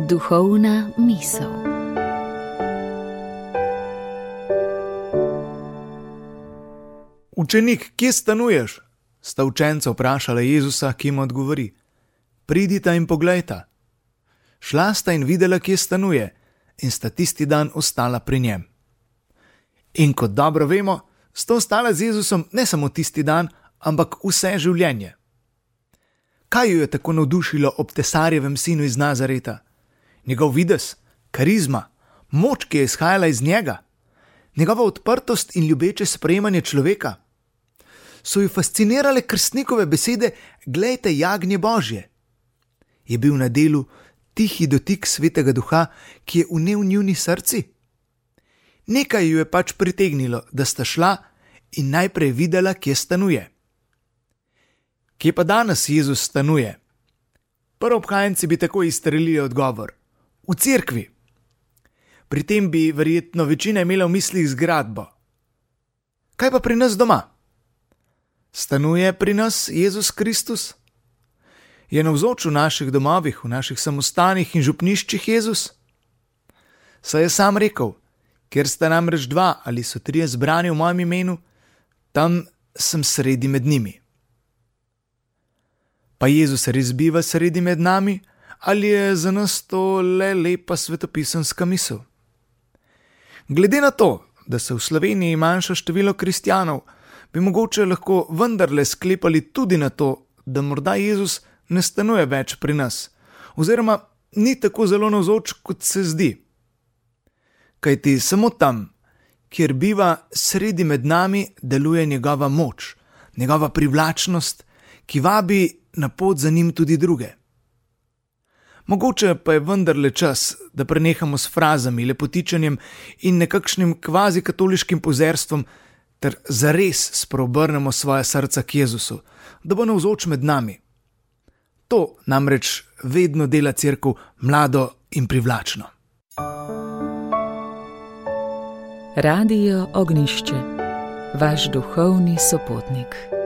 Duhovna misel. Učenik, kje stanuješ? Sta učenca vprašala Jezusa, ki jim odgovori: Pridita in poglejta. Šla sta in videla, kje stanuje, in sta tisti dan ostala pri njem. In kot dobro vemo, sta ostala z Jezusom ne samo tisti dan, ampak vse življenje. Kaj jo je tako navdušilo ob tesarjevem sinu iz Nazareta? Njegov videz, karizma, moč, ki je izhajala iz njega, njegova odprtost in ljubeče sprejemanje človeka. So ju fascinirale krstnikove besede: glejte jagnje Božje. Je bil na delu tihi dotik Svetega Duha, ki je vnel njuni srci? Nekaj ju je pač pritegnilo, da sta šla in najprej videla, kje stanuje. Kje pa danes Jezus stanuje? Prvobhajenci bi tako izstrelili odgovor: v cerkvi. Pri tem bi verjetno večina imela v mislih zgradbo. Kaj pa pri nas doma? Stanuje pri nas Jezus Kristus? Je navzoč v naših domovih, v naših samostanih in župniščih Jezus? Saj je sam rekel: kjer sta namreč dva ali so trije zbrani v mojem imenu, tam sem sredi med njimi. Pa Jezus res biva sredi med nami, ali je za nas to le lepa svetopisemska misel? Glede na to, da se v Sloveniji manjša število kristjanov, bi mogoče lahko vendarle sklepali tudi na to, da morda Jezus ne stanuje več pri nas, oziroma ni tako zelo navzoč, kot se zdi. Kajti samo tam, kjer biva sredi med nami, deluje njegova moč, njegova privlačnost, ki vabi na pot za njim tudi druge. Mogoče pa je vendarle čas, da prenehamo s frazami, lepotičenjem in nekakšnim kvazi katoliškim pozerstvom, ter zares spreobrnemo svoja srca k Jezusu, da bo navzoč med nami. To namreč vedno dela cerkev mlado in privlačno. Radio Ognjišče, vaš duhovni sopotnik.